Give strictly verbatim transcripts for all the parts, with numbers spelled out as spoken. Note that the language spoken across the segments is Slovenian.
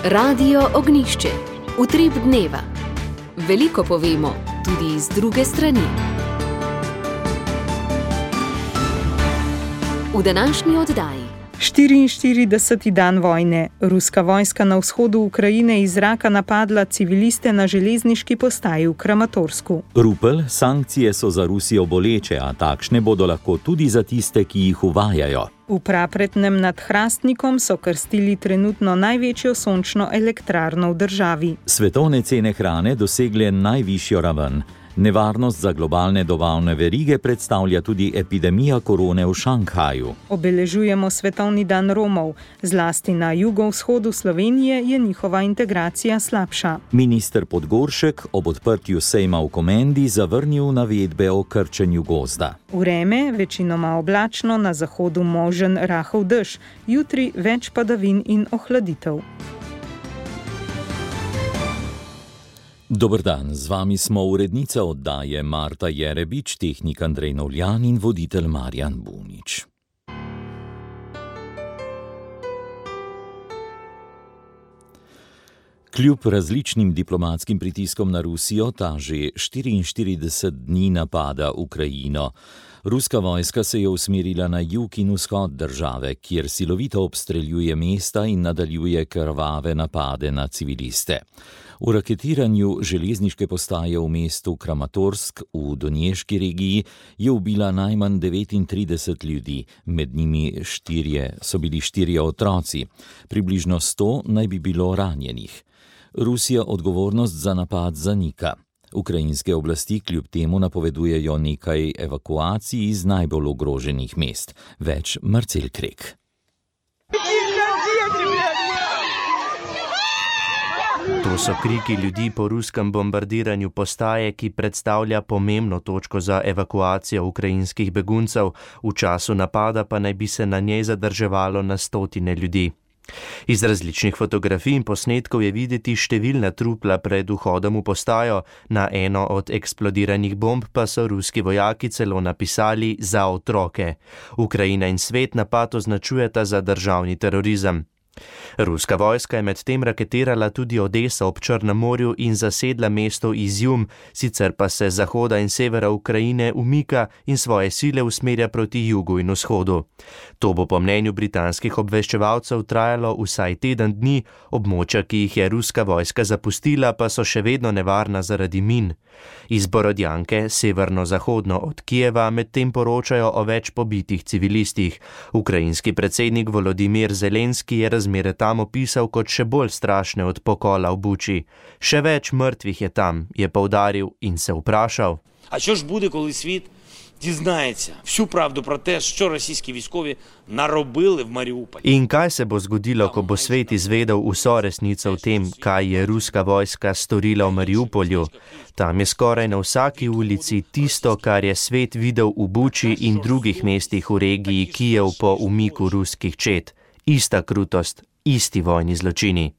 Radio Ognjišče. Utrip dneva. Veliko povemo, tudi iz druge strani. V današnji oddaji. štiriinštirideseti dan vojne. Ruska vojska na vzhodu Ukrajine iz zraka napadla civiliste na železniški postaji v Kramatorsku. Rupel, sankcije so za Rusijo boleče, a takšne bodo lahko tudi za tiste, ki jih uvajajo. V Prapretnem nad Hrastnikom so krstili trenutno največjo sončno elektrarno v državi. Svetovne cene hrane dosegle najvišjo raven. Nevarnost za globalne dobavne verige predstavlja tudi epidemija korone v Šanghaju. Obeležujemo Svetovni dan Romov. Zlasti na jugovzhodu Slovenije je njihova integracija slabša. Minister Podgoršek ob odprtju sejma v Komendi zavrnil navedbe o krčenju gozda. Vreme večinoma oblačno, na zahodu možen rahel dež, jutri več padavin in ohladitev. Dober dan, z vami smo urednica oddaje Marta Jerebič, tehnik Andrej Novljan in voditelj Marjan Bunič. Kljub različnim diplomatskim pritiskom na Rusijo ta že štiriinštirideset dni napada Ukrajino. Ruska vojska se je usmerila na jug in vzhod države, kjer silovito obstreljuje mesta in nadaljuje krvave napade na civiliste. V raketiranju železniške postaje v mestu Kramatorsk v Donješki regiji je ubila najmanj devetintrideset ljudi, med njimi štirje, so bili štirje otroci. Približno sto naj bi bilo ranjenih. Rusija odgovornost za napad zanika. Ukrajinske oblasti kljub temu napovedujejo nekaj evakuacij iz najbolj ogroženih mest. Več Marcel Krek. To so kriki ljudi po ruskem bombardiranju postaje, ki predstavlja pomembno točko za evakuacijo ukrajinskih beguncev, v času napada pa naj bi se na njej zadrževalo na stotine ljudi. Iz različnih fotografij in posnetkov je videti številna trupla pred vhodom v postajo, na eno od eksplodiranih bomb pa so ruski vojaki celo napisali za otroke. Ukrajina in svet napad označujeta za državni terorizem. Ruska vojska je medtem raketirala tudi Odeso ob Črnem morju in zasedla mesto Izjum, sicer pa se zahoda in severa Ukrajine umika in svoje sile usmerja proti jugu in vzhodu. To bo po mnenju britanskih obveščevalcev trajalo vsaj teden dni, območja, ki jih je ruska vojska zapustila, pa so še vedno nevarna zaradi min. Iz Borodjanke, severno-zahodno od Kijeva, medtem poročajo o več pobitih civilistih. Ukrajinski predsednik Volodimir Zelenski je razmere tam opisal kot še bolj strašne od pokola v Buči. Še več mrtvih je tam, je poudaril in se vprašal. А що ж буде, коли світ дізнається всю правду про те, що російські військові наробили в Маріуполі? In kaj se bo zgodilo, ko bo svet izvedel vso resnico o tem, kaj je ruska vojska storila v Mariupolju? Tam je skoraj na vsaki ulici tisto, kar je svet videl v Buči in drugih mestih v regiji Kijev po umiku ruskih čet. Ista krutost, isti vojni zločini.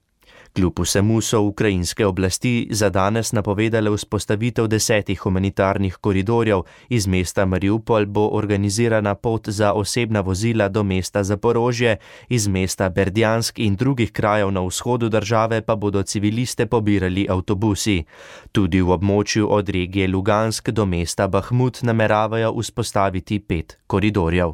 Kljub vsemu so ukrajinske oblasti za danes napovedale vzpostavitev desetih humanitarnih koridorjev. Iz mesta Mariupol bo organizirana pot za osebna vozila do mesta Zaporožje, iz mesta Berdjansk in drugih krajev na vzhodu države pa bodo civiliste pobirali avtobusi. Tudi v območju od regije Lugansk do mesta Bahmut nameravajo vzpostaviti pet koridorjev.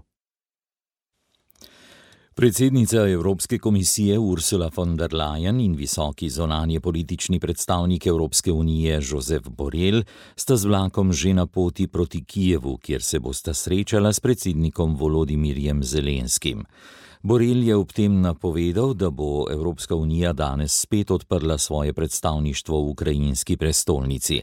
Predsednica Evropske komisije Ursula von der Leyen in visoki zunanje politični predstavnik Evropske unije Josep Borrell sta z vlakom že na poti proti Kijevu, kjer se bosta srečala s predsednikom Volodimirjem Zelenskim. Borrell je ob tem napovedal, da bo Evropska unija danes spet odprla svoje predstavništvo v ukrajinski prestolnici.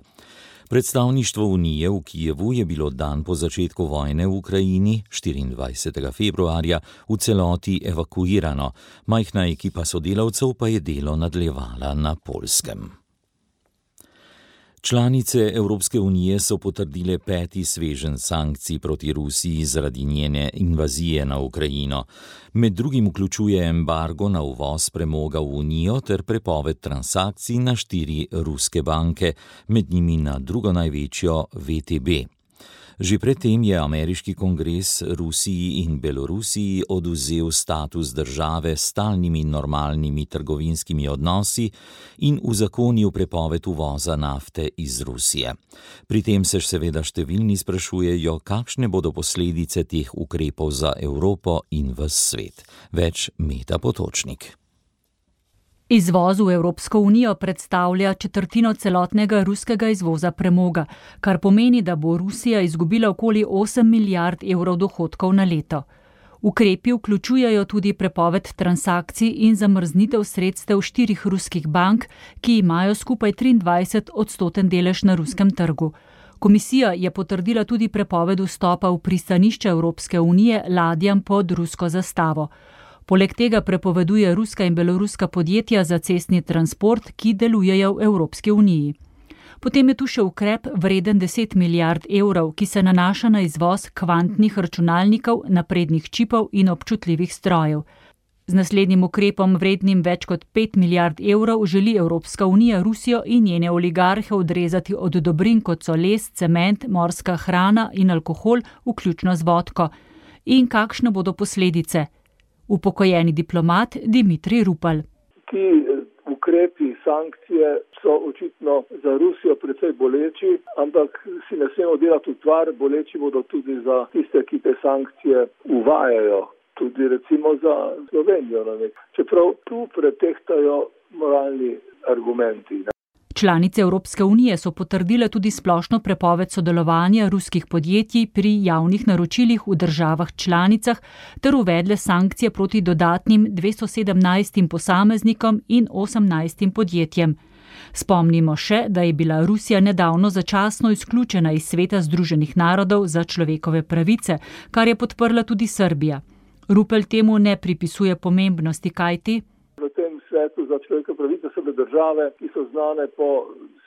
Predstavništvo Unije v Kijevu je bilo dan po začetku vojne v Ukrajini, štiriindvajsetega februarja, v celoti evakuirano. Majhna ekipa sodelavcev pa je delo nadaljevala na Poljskem. Članice Evropske unije so potrdile peti sveženj sankcij proti Rusiji zaradi njene invazije na Ukrajino. Med drugim vključuje embargo na uvoz premoga v Unijo ter prepoved transakcij na štiri ruske banke, med njimi na drugo največjo V T B. Že predtem je ameriški kongres Rusiji in Belorusiji odvzel status države s stalnimi normalnimi trgovinskimi odnosi in uzakonil prepoved uvoza nafte iz Rusije. Pri tem se seveda številni sprašujejo, kakšne bodo posledice teh ukrepov za Evropo in ves svet. Več Meta Potočnik. Izvoz v Evropsko unijo predstavlja četrtino celotnega ruskega izvoza premoga, kar pomeni, da bo Rusija izgubila okoli osem milijard evrov dohodkov na leto. Ukrepi vključujejo tudi prepoved transakcij in zamrznitev sredstev štirih ruskih bank, ki imajo skupaj triindvajset odstoten delež na ruskem trgu. Komisija je potrdila tudi prepoved vstopa v pristanišče Evropske unije ladjam pod rusko zastavo. Poleg tega prepoveduje ruska in beloruska podjetja za cestni transport, ki delujejo v Evropski uniji. Potem je tu še ukrep vreden deset milijard evrov, ki se nanaša na izvoz kvantnih računalnikov, naprednih čipov in občutljivih strojev. Z naslednjim ukrepom vrednim več kot pet milijard evrov želi Evropska unija Rusijo in njene oligarhe odrezati od dobrin, kot so les, cement, morska hrana in alkohol, vključno z vodko. In kakšne bodo posledice? Upokojeni diplomat Dimitrij Rupel. Ti ukrepi, sankcije so očitno za Rusijo precej boleči, ampak si ne smemo delati utvar, boleči bodo tudi za tiste, ki te sankcije uvajajo, tudi recimo za Slovenijo. Čeprav tu pretehtajo moralni argumenti. Članice Evropske unije so potrdile tudi splošno prepoved sodelovanja ruskih podjetij pri javnih naročilih v državah članicah ter uvedle sankcije proti dodatnim dvesto sedemnajstim posameznikom in osemnajstim podjetjem. Spomnimo še, da je bila Rusija nedavno začasno izključena iz Sveta Združenih narodov za človekove pravice, kar je podprla tudi Srbija. Rupel temu ne pripisuje pomembnosti, kajti v tem svetu za človekove pravice so bile države, ki so znane po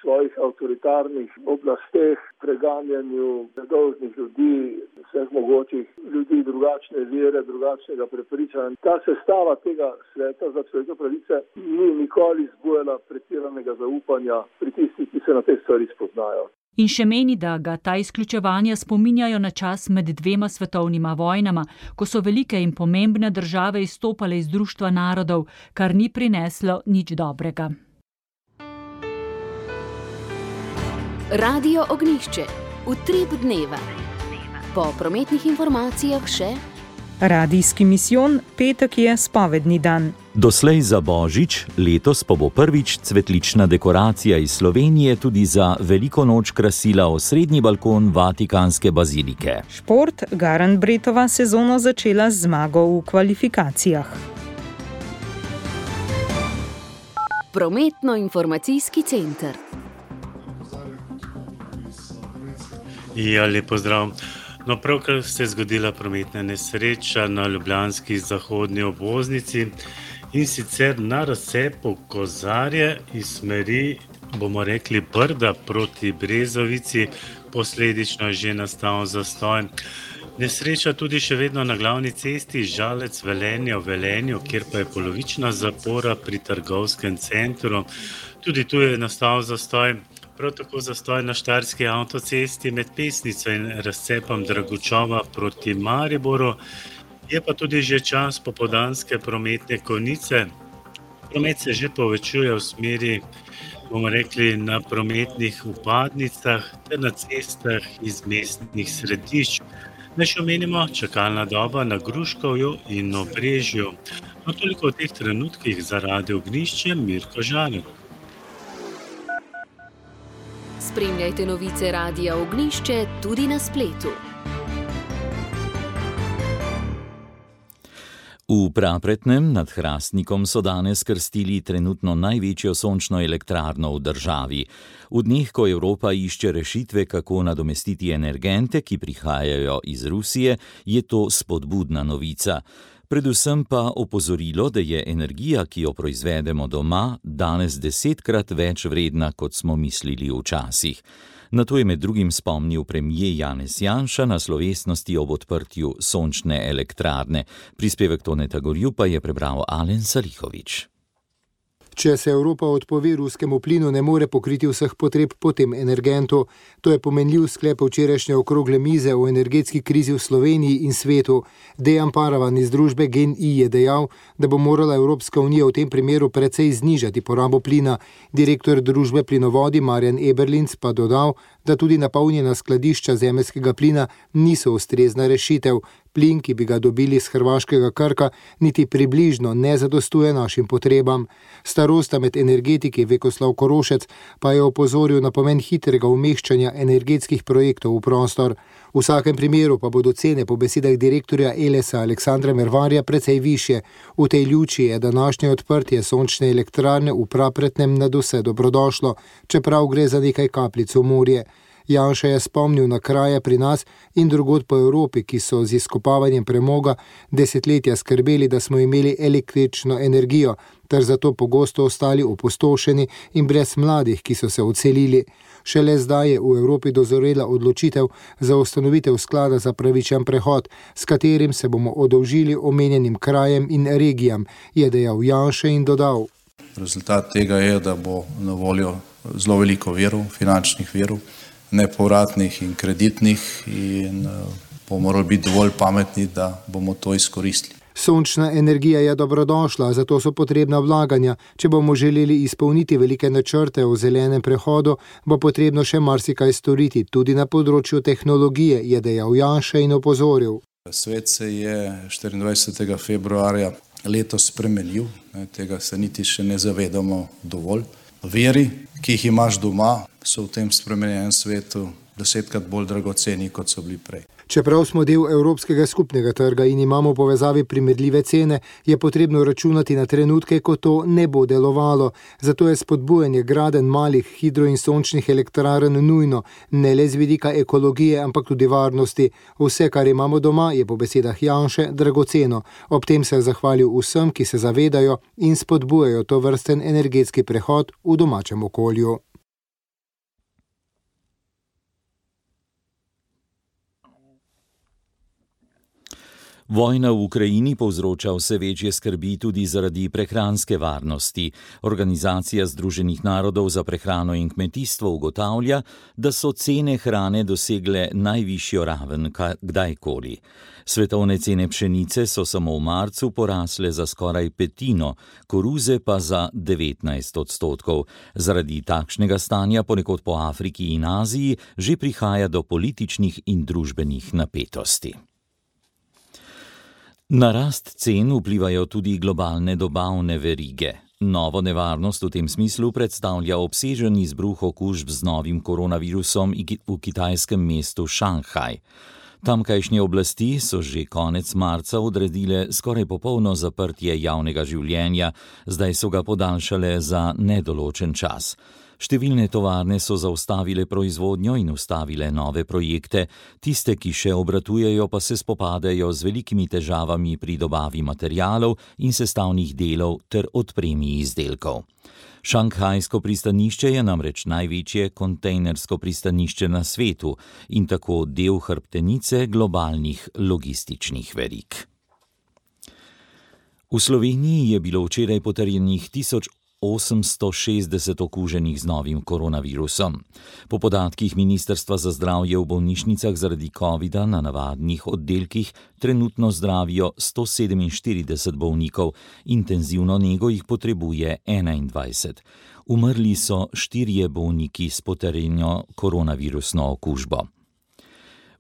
svojih avtoritarnih oblasteh, preganjanju nedolžnih ljudi, vseh mogočih ljudi drugačne vere, drugačnega prepričanja. Ta sestava tega sveta za človekove pravice ni nikoli zbujala pretiranega zaupanja pri tistih, ki se na te stvari spoznajo. In še meni, da ga ta izključevanja spominjajo na čas med dvema svetovnima vojnama, ko so velike in pomembne države izstopale iz Društva narodov, kar ni prineslo nič dobrega. Radio Ognjišče. Utrip dneva. Po prometnih informacijah še Radijski misijon, petek je spovedni dan. Doslej za Božič, letos pa bo prvič cvetlična dekoracija iz Slovenije tudi za veliko noč krasila osrednji balkon Vatikanske bazilike. Šport, Garan Bretova sezono začela z zmago v kvalifikacijah. Prometno-informacijski center. Ja, lep pozdrav. No, pravkar se je zgodila prometna nesreča na ljubljanski zahodni obvoznici in sicer na razcepu Kozarje iz smeri, bomo rekli, Brda proti Brezovici, posledično že nastal zastoj. Nesreča tudi še vedno na glavni cesti Žalec-Velenje v Velenju, kjer pa je polovična zapora pri trgovskem centru. Tudi tu je nastal zastoj. Prav tako zastoj na štajerski avtocesti med Pesnico in razcepom Dragučova proti Mariboru. Je pa tudi že čas popoldanske prometne konice. Promet se že povečuje v smeri, bomo rekli, na prometnih vpadnicah ter na cestah iz mestnih središč. Naj še omenimo čakalna doba na Gruškovju in Obrežju. No, toliko v teh trenutkih za Radio Ognjišče, Mirko Žarek. Spremljajte novice Radia Ognjišče tudi na spletu. V Prapretnem nad Hrastnikom so danes krstili trenutno največjo sončno elektrarno v državi. V dneh, ko Evropa išče rešitve, kako nadomestiti energente, ki prihajajo iz Rusije, je to spodbudna novica. Predvsem pa opozorilo, da je energija, ki jo proizvedemo doma, danes desetkrat več vredna, kot smo mislili včasih. Na to je med drugim spomnil premier Janez Janša na slovesnosti ob odprtju sončne elektrarne. Prispevek Toneta Gorjupa je prebral Alen Salihović. Če se Evropa odpove ruskemu plinu, ne more pokriti vseh potreb po tem energentu. To je pomenljiv sklep včerajšnje okrogle mize o energetski krizi v Sloveniji in svetu. Dejan Paravan iz družbe GEN-I je dejal, da bo morala Evropska unija v tem primeru precej znižati porabo plina. Direktor družbe Plinovodi Marjan Eberlinc pa dodal, da tudi napolnjena skladišča zemeljskega plina niso ustrezna rešitev. Plin, ki bi ga dobili z hrvaškega Krka, niti približno ne zadostuje našim potrebam. Starosta med energetiki Vekoslav Korošec pa je opozoril na pomen hitrega umeščanja energetskih projektov v prostor. V vsakem primeru pa bodo cene po besedah direktorja Elesa Aleksandra Mervarja precej višje. V tej luči je današnje odprtje sončne elektrarne v Prapretnem nadvse dobrodošlo, čeprav gre za nekaj kapljic v morje. Janša je spomnil na kraje pri nas in drugod po Evropi, ki so z izkopavanjem premoga desetletja skrbeli, da smo imeli električno energijo, ter zato pogosto ostali opustošeni in brez mladih, ki so se odselili. Šele zdaj je v Evropi dozorela odločitev za ustanovitev sklada za pravičen prehod, s katerim se bomo oddolžili omenjenim krajem in regijam, je dejal Janša in dodal. Rezultat tega je, da bo na voljo zelo veliko virov, finančnih virov, nepovratnih in kreditnih, in bomo morali biti dovolj pametni, da bomo to izkoristili. Sončna energija je dobrodošla, zato so potrebna vlaganja. Če bomo želeli izpolniti velike načrte o zelenem prehodu, bo potrebno še marsikaj storiti, tudi na področju tehnologije, je dejal Janša in opozoril. Svet se je štiriindvajsetega februarja letos spremenil, tega se niti še ne zavedamo dovolj. Viri, ki jih imaš doma, so v tem spremenjenem svetu desetkrat bolj dragoceni, kot so bili prej. Čeprav smo del Evropskega skupnega trga in imamo v povezavi primerljive cene, je potrebno računati na trenutke, ko to ne bo delovalo. Zato je spodbujanje gradenj malih hidro- in sončnih elektrarn nujno, ne le z vidika ekologije, ampak tudi varnosti. Vse, kar imamo doma, je po besedah Janše dragoceno. Ob tem se je zahvalil vsem, ki se zavedajo in spodbujajo to vrsten energetski prehod v domačem okolju. Vojna v Ukrajini povzroča vse večje skrbi tudi zaradi prehranske varnosti. Organizacija Združenih narodov za prehrano in kmetijstvo ugotavlja, da so cene hrane dosegle najvišjo raven kdajkoli. Svetovne cene pšenice so samo v marcu porasle za skoraj petino, koruze pa za devetnajst odstotkov. Zaradi takšnega stanja ponekod po Afriki in Aziji že prihaja do političnih in družbenih napetosti. Na rast cen vplivajo tudi globalne dobavne verige. Novo nevarnost v tem smislu predstavlja obsežen izbruh okužb z novim koronavirusom v kitajskem mestu Šanghaj. Tamkajšnje oblasti so že konec marca odredile skoraj popolno zaprtje javnega življenja, zdaj so ga podaljšale za nedoločen čas. Številne tovarne so zaustavile proizvodnjo in ustavile nove projekte, tiste, ki še obratujejo, pa se spopadajo z velikimi težavami pri dobavi materialov in sestavnih delov ter odpremi izdelkov. Šanghajsko pristanišče je namreč največje kontejnersko pristanišče na svetu in tako del hrbtenice globalnih logističnih verig. V Sloveniji je bilo včeraj potrjenih tisoč osemsto šestdeset okuženih z novim koronavirusom. Po podatkih Ministrstva za zdravje v bolnišnicah zaradi covida na navadnih oddelkih trenutno zdravijo sto sedeminštirideset bolnikov, intenzivno nego jih potrebuje enaindvajset. Umrli so štirje bolniki s potrjeno koronavirusno okužbo.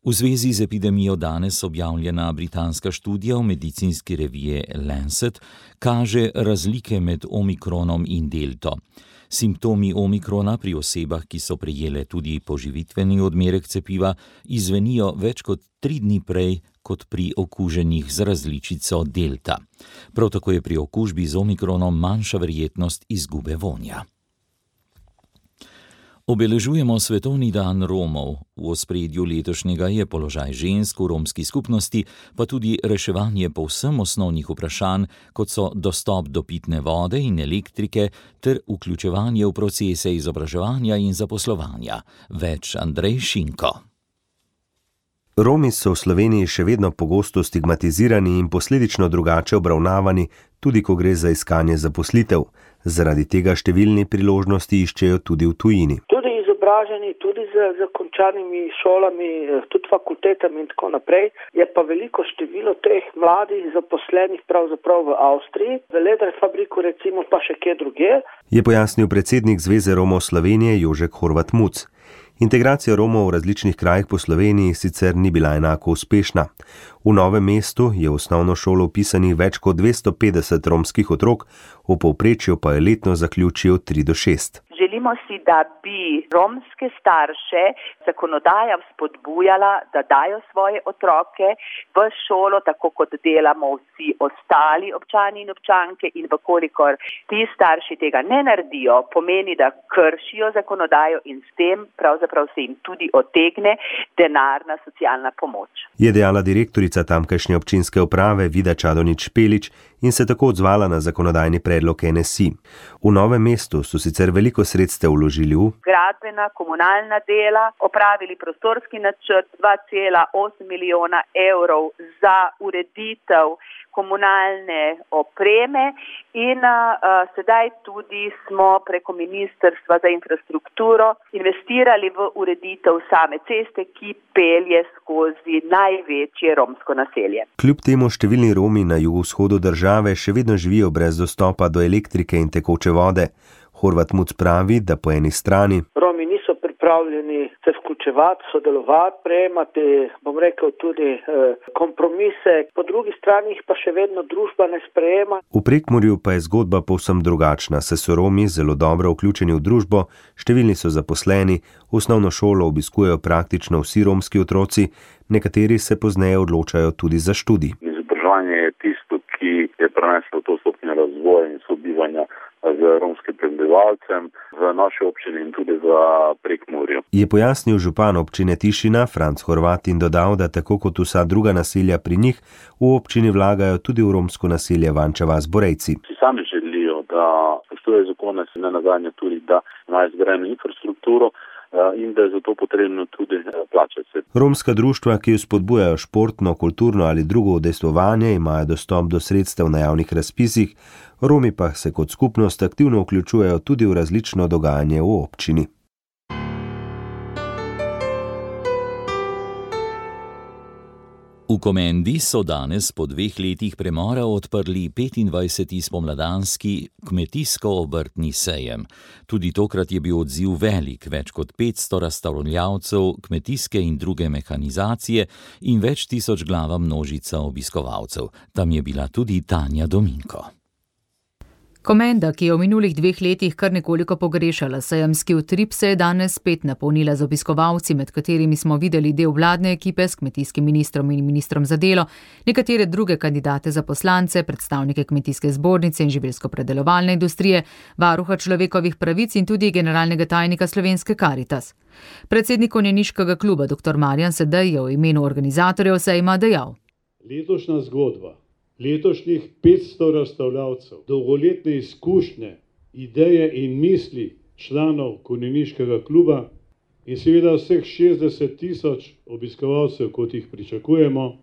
V zvezi z epidemijo danes objavljena britanska študija v medicinski reviji Lancet kaže razlike med omikronom in delto. Simptomi omikrona pri osebah, ki so prejele tudi poživitveni odmerek cepiva, izvenijo več kot tri dni prej kot pri okuženih z različico delta. Prav tako je pri okužbi z omikronom manjša verjetnost izgube vonja. Obeležujemo Svetovni dan Romov. V ospredju letošnjega je položaj žensk v romski skupnosti, pa tudi reševanje povsem osnovnih vprašanj, kot so dostop do pitne vode in elektrike ter vključevanje v procese izobraževanja in zaposlovanja. Več Andrej Šinko. Romi so v Sloveniji še vedno pogosto stigmatizirani in posledično drugače obravnavani, tudi ko gre za iskanje zaposlitev. Zaradi tega številni priložnosti iščejo tudi v tujini. Tudi izobraženi, tudi z, z končanimi šolami, tudi fakultetami in tako naprej. Je pa veliko število teh mladih zaposlenih pravzaprav v Avstriji, v Leder fabriku recimo, pa še kje drugje. Je pojasnil predsednik Zveze Romov Slovenije Jožek Horvat Muc. Integracija Romov v različnih krajih po Sloveniji sicer ni bila enako uspešna. V Novem mestu je v osnovno šolo vpisanih več kot dvesto petdeset romskih otrok, v povprečju pa je letno zaključijo tri do šest. Želimo si, da bi romske starše zakonodaja spodbujala, da dajo svoje otroke v šolo, tako kot delamo vsi ostali občani in občanke, in vkolikor ti starši tega ne naredijo, pomeni, da kršijo zakonodajo in s tem pravzaprav se jim tudi otegne denarna socialna pomoč. Je dejala direktorica tamkajšnje občinske uprave Vida Čadonič Špelič in se tako odzvala na zakonodajni predlog N S I. V Novem mestu so sicer veliko sredstev vložili v gradbena, komunalna dela, opravili prostorski načrt dva cela osem milijona evrov za ureditev komunalne opreme in uh, sedaj tudi smo preko Ministrstva za infrastrukturo investirali v ureditev same ceste, ki pelje skozi največje romsko naselje. Kljub temu številni Romi na jugovzhodu države še vedno živijo brez dostopa do elektrike in tekoče vode. Horvat Muc pravi, da po eni strani Romi niso pripravljeni se vključevati, sodelovati, prejemati, bom rekel, tudi eh, kompromise, po drugi strani jih pa še vedno družba ne sprejema. V Prekmurju pa je zgodba povsem drugačna, saj so Romi zelo dobro vključeni v družbo, številni so zaposleni, osnovno šolo obiskujejo praktično vsi romski otroci, nekateri se pozneje odločajo tudi za študij. Izobraževanje je tisto, ki je preneslo to stopnjo razvoja in sobivanja z romskim prebivalcem v naši občini in tudi v Prekmurju. Je pojasnil župan občine Tišina, Franc Horvat, in dodal, da tako kot vsa druga naselja pri njih, v občini vlagajo tudi v romsko naselje Vanča vas Borejci. Vsi sami želijo, da spoštujejo zakone, se ne nazadnje tudi, da imajo zgrajeno infrastrukturo in da je zato potrebno tudi plačati. Romska društva, ki spodbujajo športno, kulturno ali drugo udejstvovanje, imajo dostop do sredstev na javnih razpisih, Romi pa se kot skupnost aktivno vključujejo tudi v različno dogajanje v občini. V Komendi so danes po dveh letih premora odprli petindvajseti spomladanski kmetijsko-obrtni sejem. Tudi tokrat je bil odziv velik, več kot petsto razstavljavcev kmetijske in druge mehanizacije in več tisoč glava množica obiskovalcev. Tam je bila tudi Tanja Dominko. Komenda, ki je v minulih dveh letih kar nekoliko pogrešala sejemski utrip, se je danes spet napolnila z obiskovalci, med katerimi smo videli del vladne ekipe s kmetijskim ministrom in ministrom za delo, nekatere druge kandidate za poslance, predstavnike kmetijske zbornice in živilsko-predelovalne industrije, varuha človekovih pravic in tudi generalnega tajnika Slovenske Karitas. Predsednik konjeniškega kluba dr. Marjan Sedej je v imenu organizatorjev sejma dejal: Letošnja zgodba letošnjih petsto razstavljavcev, dolgoletne izkušnje, ideje in misli članov konjeniškega kluba in seveda vseh šestdeset tisoč obiskovalcev, kot jih pričakujemo,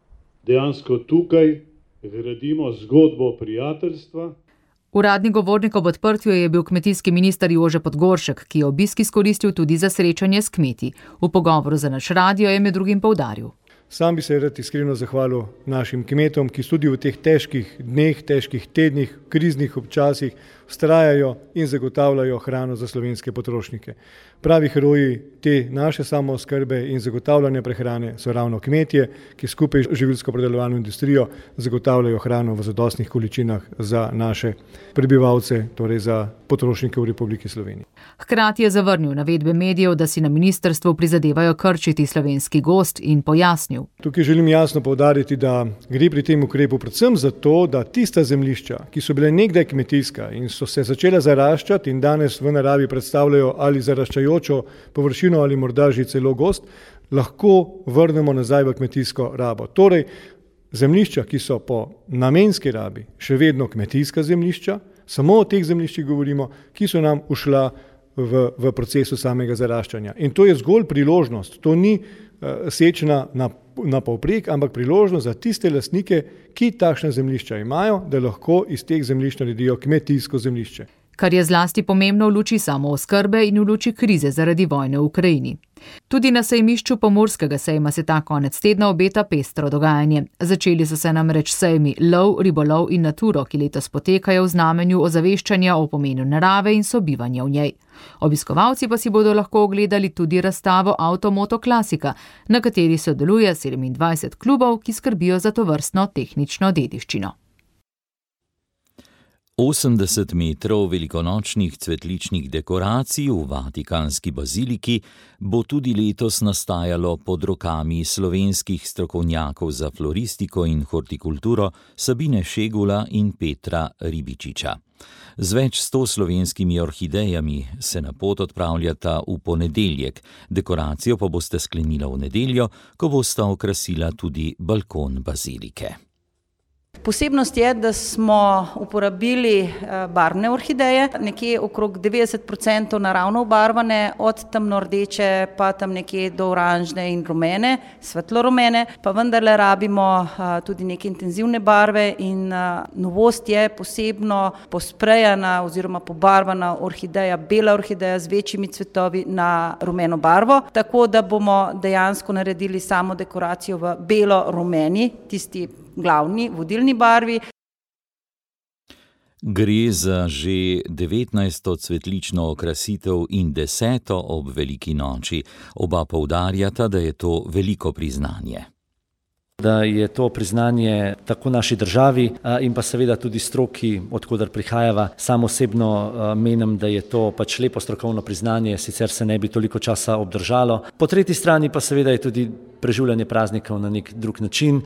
dejansko tukaj gradimo zgodbo prijateljstva. Uradni govornik ob odprtju je bil kmetijski minister Jože Podgoršek, ki je obisk izkoristil tudi za srečanje s kmeti. V pogovoru za naš radio je med drugim poudaril: Sam bi se rad iskreno zahvalil našim kmetom, ki tudi v teh težkih dneh, težkih tednih, kriznih občasih vztrajajo in zagotavljajo hrano za slovenske potrošnike. Pravi heroji te naše samooskrbe in zagotavljanja prehrane so ravno kmetje, ki skupaj z živilsko-predelovalno industrijo zagotavljajo hrano v zadostnih količinah za naše prebivalce, torej za potrošnike v Republiki Sloveniji. Hkrati je zavrnil navedbe medijev, da si na ministrstvu prizadevajo krčiti slovenski gozd, in pojasnil: Tukaj želim jasno poudariti, da gre pri tem ukrepu predvsem za to, da tista zemljišča, ki so bile nekdaj kmetijska in so se začela zaraščati in danes v naravi predstavljajo ali zaraščajočo površino ali morda že celo gozd, lahko vrnemo nazaj v kmetijsko rabo. Torej, zemljišča, ki so po namenski rabi še vedno kmetijska zemljišča, samo o teh zemljiščih govorimo, ki so nam ušla v, v procesu samega zaraščanja. In to je zgolj priložnost, to ni uh, sečna na, na povprek, ampak priložnost za tiste lastnike, ki takšna zemljišča imajo, da lahko iz teh zemljišč naredijo kmetijsko zemljišče. kar je zlasti pomembno v luči samooskrbe in v luči krize zaradi vojne v Ukrajini. Tudi na sejmišču Pomurskega sejma se ta konec tedna obeta pestro dogajanje. Začeli so se namreč sejmi Lov, Ribolov in Naturo, ki letos potekajo v znamenju ozaveščanja o pomenu narave in sobivanja v njej. Obiskovalci pa si bodo lahko ogledali tudi razstavo Avtomoto Klasika, na kateri sodeluje sedemindvajset klubov, ki skrbijo za tovrstno tehnično dediščino. osemdeset metrov velikonočnih cvetličnih dekoracij v Vatikanski baziliki bo tudi letos nastajalo pod rokami slovenskih strokovnjakov za floristiko in hortikulturo Sabine Šegula in Petra Ribičiča. Z več sto slovenskimi orhidejami se na pot odpravljata v ponedeljek, dekoracijo pa boste sklenila v nedeljo, ko bosta okrasila tudi balkon bazilike. Posebnost je, da smo uporabili barvne orhideje, nekje okrog devetdeset procentov naravno obarvane, od temno rdeče pa tam nekje do oranžne in rumene, svetlo rumene, pa vendarle rabimo tudi neke intenzivne barve in novost je posebno posprejana oziroma pobarvana orhideja, bela orhideja z večjimi cvetovi na rumeno barvo, tako da bomo dejansko naredili samo dekoracijo v belo-rumeni, tisti glavni, vodilni barvi. Gre za že devetnajsto cvetlično okrasitev in deseto ob veliki noči. Oba poudarjata, da je to veliko priznanje. Da je to priznanje tako naši državi in pa seveda tudi stroki, odkudar prihajava. Sam osebno menim, da je to pač lepo strokovno priznanje, sicer se ne bi toliko časa obdržalo. Po tretji strani pa seveda je tudi preživljanje praznikov na nek drug način.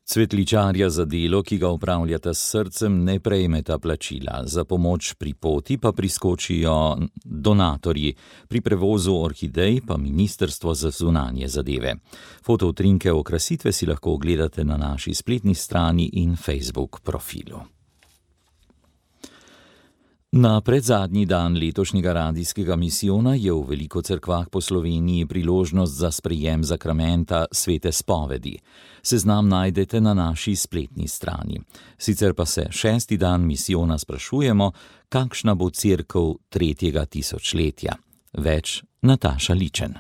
Cvetličarja za delo, ki ga upravljata s srcem, ne prejmeta plačila. Za pomoč pri poti pa priskočijo donatorji, pri prevozu orhidej pa Ministrstvo za zunanje zadeve. Fotoutrinke okrasitve si lahko ogledate na naši spletni strani in Facebook profilu. Na predzadnji dan letošnjega radijskega misijona je v veliko cerkvah po Sloveniji priložnost za sprejem zakramenta svete spovedi. Seznam najdete na naši spletni strani. Sicer pa se šesti dan misijona sprašujemo, kakšna bo cerkev tretjega tisočletja. Več Nataša Ličen.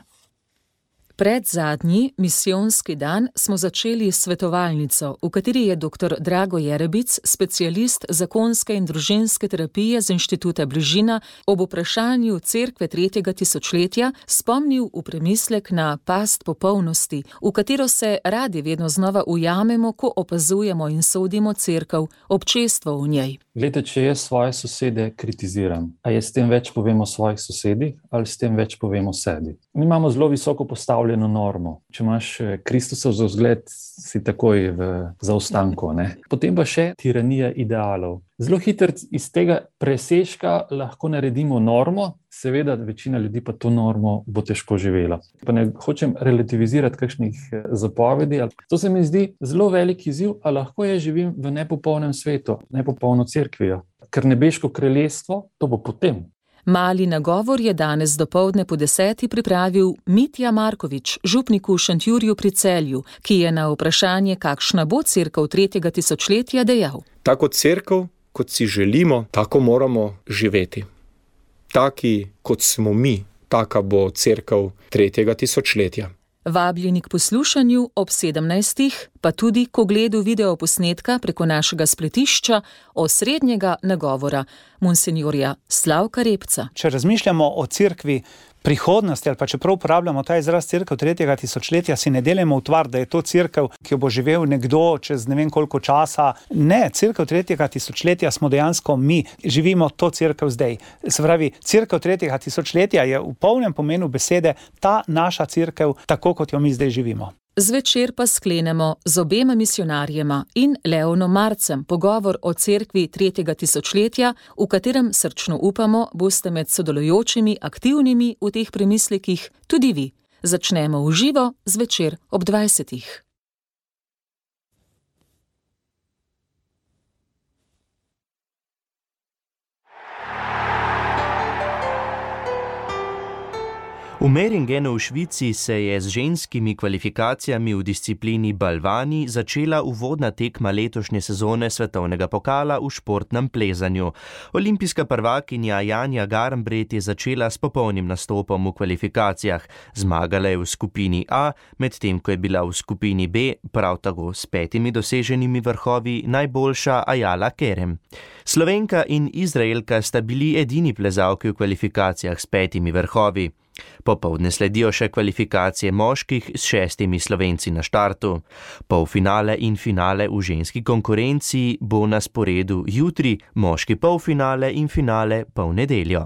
Pred zadnji misijonski dan smo začeli svetovalnico, v kateri je doktor Drago Jerebic, specialist zakonske in družinske terapije z Inštituta Bližina, ob vprašanju cerkve tretjega tisočletja spomnil v premislek na past popolnosti, v katero se radi vedno znova ujamemo, ko opazujemo in sodimo cerkev, občestvo v njej. Glede, če jaz svoje sosede kritiziram, a je s tem več povemo o svojih sosedih ali s tem več povemo o sebi? Mi imamo zelo visoko postavljeno normo. Če imaš Kristusov za vzgled, si takoj v zaostanku, ne? Potem pa še tiranija idealov. Zelo hitro iz tega presežka lahko naredimo normo, seveda večina ljudi pa to normo bo težko živela. Pa ne hočem relativizirati kakšnih zapovedi. To se mi zdi zelo velik izziv, a lahko jaz živim v nepopolnem svetu, nepopolno cerkvijo. Ker nebeško kraljestvo, to bo potem. Mali nagovor je danes dopoldne po deseti pripravil Mitja Markovič, župnik v Šentjurju pri Celju, ki je na vprašanje, kakšna bo cerkev tretjega tisočletja, dejal. Tako cerkev, kot si želimo, tako moramo živeti. Taki, kot smo mi, taka bo cerkev tretjega tisočletja. Vabljeni k poslušanju ob sedemnajstih, pa tudi k ogledu videoposnetka preko našega spletišča osrednjega nagovora monsenjorja Slavka Repca. Če razmišljamo o cerkvi prihodnosti, ali pa čeprav uporabljamo ta izraz cerkev tretjega tisočletja, si ne delamo utvar, da je to cerkev, ki jo bo živel nekdo čez ne vem koliko časa. Ne, cerkev tretjega tisočletja smo dejansko mi, živimo to cerkev zdaj. Se pravi, cerkev tretjega tisočletja je v polnem pomenu besede ta naša cerkev, tako kot jo mi zdaj živimo. Zvečer pa sklenemo z obema misionarjema in Leonom Marcem pogovor o cerkvi tretjega tisočletja, v katerem srčno upamo, boste med sodelujočimi aktivnimi v teh premislekih tudi vi. Začnemo v živo zvečer ob dvajsetih. V Meringenu v Švici se je z ženskimi kvalifikacijami v disciplini balvani začela uvodna tekma letošnje sezone svetovnega pokala v športnem plezanju. Olimpijska prvakinja Janja Garnbret je začela s popolnim nastopom v kvalifikacijah. Zmagala je v skupini A, medtem ko je bila v skupini B prav tako s petimi doseženimi vrhovi najboljša Ajala Kerem. Slovenka in Izraelka sta bili edini plezalki v kvalifikacijah s petimi vrhovi. Popoldne sledijo še kvalifikacije moških s šestimi Slovenci na štartu. Polfinale in finale v ženski konkurenci bo na sporedu jutri, moški polfinale in finale pa v nedeljo.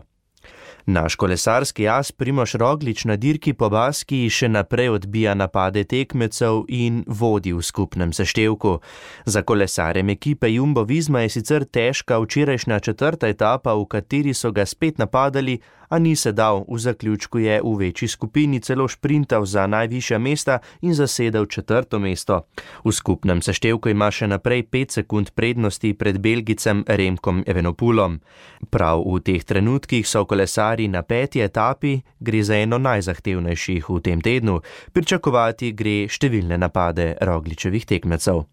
Naš kolesarski as Primož Roglič na dirki po Baskiji še naprej odbija napade tekmecev in vodi v skupnem seštevku. Za kolesarjem ekipe Jumbo Visma je sicer težka včerajšnja četrta etapa, v kateri so ga spet napadali, a ni se dal. V zaključku je v večji skupini celo šprintal za najvišja mesta in zasedel četrto mesto. V skupnem seštevku ima še naprej pet sekund prednosti pred Belgicem Remkom Evenepoelom. Prav v teh trenutkih so kolesarji na peti etapi, gre za eno najzahtevnejših v tem tednu. Pričakovati gre številne napade Rogličevih tekmecev.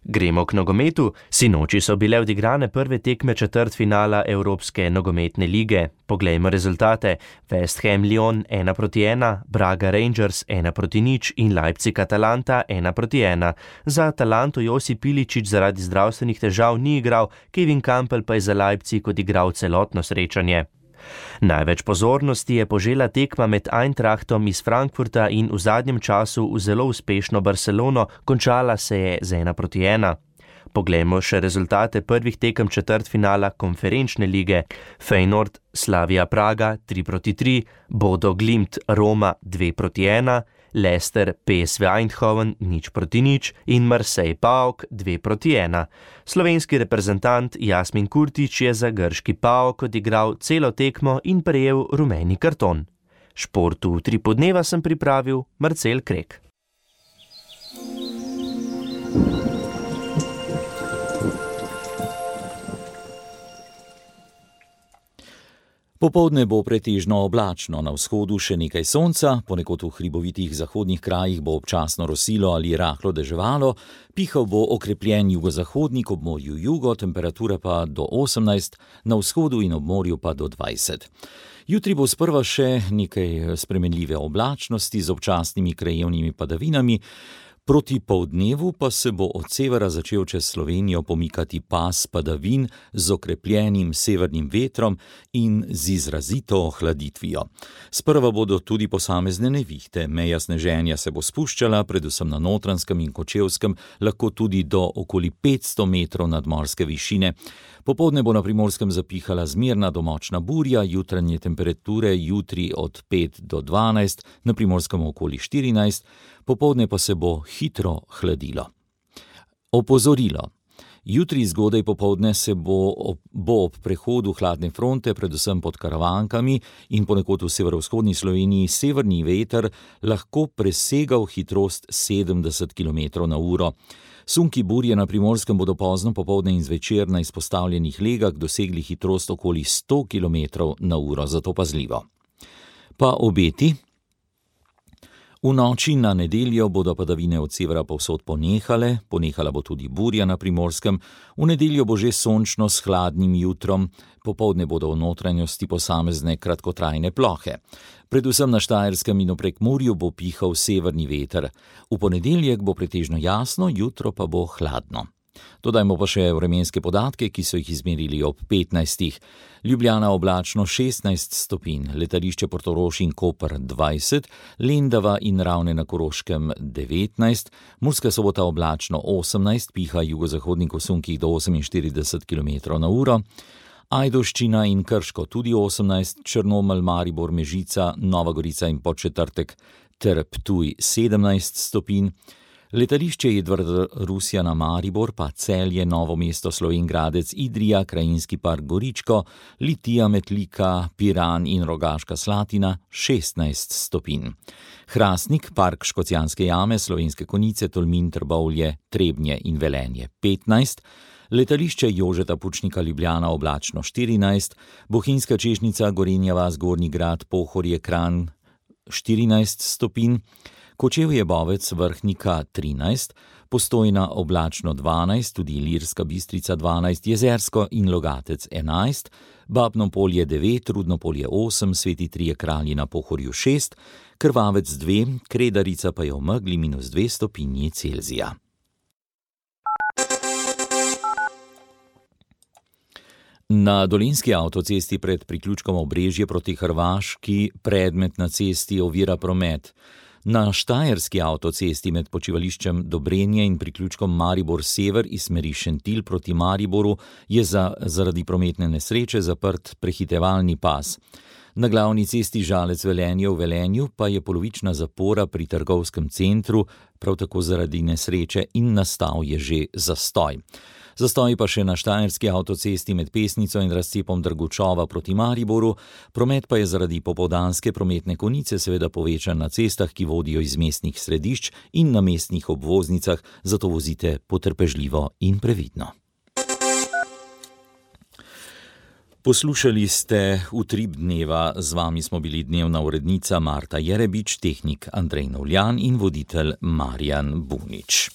Gremo k nogometu. Sinoči so bile odigrane prve tekme četrtfinala Evropske nogometne lige. Poglejmo rezultate. West Ham Lyon ena proti ena, Braga Rangers ena proti nič in Leipzig Atalanta ena proti ena. Za Atalanto Josip Iličić zaradi zdravstvenih težav ni igral, Kevin Campbell pa je za Leipzig odigral celotno srečanje. Največ pozornosti je požela tekma med Eintrachtom iz Frankfurta in v zadnjem času v zelo uspešno Barcelono, končala se je z ena proti ena. Poglejmo še rezultate prvih tekem četrtfinala konferenčne lige. Feyenoord Slavia Praga tri proti tri, Bodo Glimt Roma dve proti ena, Leicester P S V Eindhoven nič proti nič in Marseille PAOK dve proti ena. Slovenski reprezentant Jasmin Kurtić je za grški PAOK odigral celo tekmo in prejel rumeni karton. Športu v tri podneva sem pripravil Marcel Krek. Popoldne bo pretežno oblačno, na vzhodu še nekaj sonca, ponekod v hribovitih zahodnih krajih bo občasno rosilo ali rahlo deževalo, pihal bo okrepljen jugozahodnik, ob morju jugo, temperatura pa do osemnajst, na vzhodu in ob morju pa do dvajset. Jutri bo sprva še nekaj spremenljive oblačnosti z občasnimi krajevnimi padavinami, proti poldnevu pa se bo od severa začel čez Slovenijo pomikati pas padavin z okrepljenim severnim vetrom in z izrazito ohladitvijo. Sprva bodo tudi posamezne nevihte, meja sneženja se bo spuščala, predvsem na Notranjskem in Kočevskem, lahko tudi do okoli petsto metrov nadmorske višine. Popoldne bo na Primorskem zapihala zmerna do močna burja, jutranje temperature jutri od pet do dvanajst, na Primorskem okoli štirinajst, popoldne pa se bo hitro hladilo. Opozorilo. Jutri zgodaj popoldne se bo ob, bo ob prehodu hladne fronte, predvsem pod Karavankami in ponekod v severovzhodni Sloveniji, severni veter lahko presegal hitrost sedemdeset kilometrov na uro. Sunki burje na Primorskem bodo pozno popoldne in zvečer na izpostavljenih legah dosegli hitrost okoli sto kilometrov na uro, zato pazljivo. Pa obeti. V noči na nedeljo bodo padavine od severa povsod ponehale, ponehala bo tudi burja na Primorskem, v nedeljo bo že sončno s hladnim jutrom, popoldne bodo v notranjosti posamezne kratkotrajne plohe. Predvsem na Štajerskem in v Prekmurju bo pihal severni veter. V ponedeljek bo pretežno jasno, jutro pa bo hladno. Dodajmo pa še vremenske podatke, ki so jih izmerili ob petnajstih. Ljubljana oblačno šestnajst stopinj, letališče Portorož in Koper dvajset, Lendava in Ravne na Koroškem devetnajst, Murska Sobota oblačno osemnajst, piha jugozahodnik v sunkih do oseminštirideset kilometrov na uro, Ajdovščina in Krško tudi osemnajst, Črnomelj, Maribor, Mežica, Nova Gorica in Podčetrtek ter Ptuj sedemnajst stopinj, letališče Edvard Rusjana Maribor, pa Celje, Novo mesto, Slovenj Gradec, Idrija, Krajinski park Goričko, Litija, Metlika, Piran in Rogaška Slatina šestnajst stopinj. Hrastnik, park Škocjanske jame, Slovenske Konjice, Tolmin, Trbovlje, Trebnje in Velenje petnajst, letališče Jožeta Pučnika Ljubljana oblačno štirinajst, Bohinjska Češnjica, Gorenja vas, Gornji Grad, Pohorje, Kranj, štirinajst stopinj, Kočevje Bovec Vrhnika trinajst, Postojna oblačno dvanajst, tudi Ilirska Bistrica dvanajst, Jezersko in Logatec enajst, Babno Polje devet, Rudno Polje osem, Sveti Trije Kralji na Pohorju šest, Krvavec dve, Kredarica pa je v megli minus dve stopinji Celzija. Na dolenjski avtocesti pred priključkom Obrežje proti Hrvaški predmet na cesti ovira promet. Na štajerski avtocesti med počivališčem Dobrenje in priključkom Maribor Sever iz smeri Šentilj proti Mariboru je za, zaradi prometne nesreče zaprt prehitevalni pas. Na glavni cesti Žalec Velenje v Velenju pa je polovična zapora pri trgovskem centru, prav tako zaradi nesreče, in nastal je že zastoj. Zastoj pa še na štajerski avtocesti med Pesnico in razcepom Drgučova proti Mariboru, promet pa je zaradi popoldanske prometne konice seveda povečan na cestah, ki vodijo iz mestnih središč in na mestnih obvoznicah, zato vozite potrpežljivo in previdno. Poslušali ste Utrip dneva, z vami smo bili dnevna urednica Marta Jerebič, tehnik Andrej Novljan in voditelj Marjan Bunič.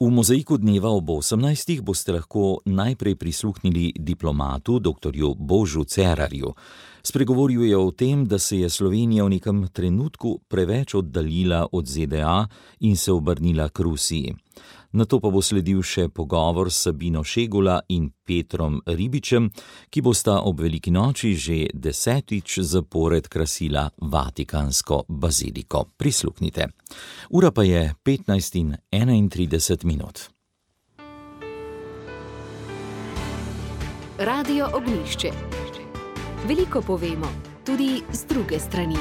V Mozaiku dneva ob osemnajstih boste lahko najprej prisluhnili diplomatu doktorju Božu Cerarju. Spregovoril je o tem, da se je Slovenija v nekem trenutku preveč oddaljila od Z D A in se obrnila k Rusiji. Nato pa bo sledil še pogovor s Sabino Šegula in Petrom Ribičem, ki bosta ob veliki noči že desetič zapored krasila Vatikansko baziliko. Prisluhnite. Ura pa je petnajst in enaintrideset minut. Radio Ognjišče. Veliko povemo, tudi z druge strani.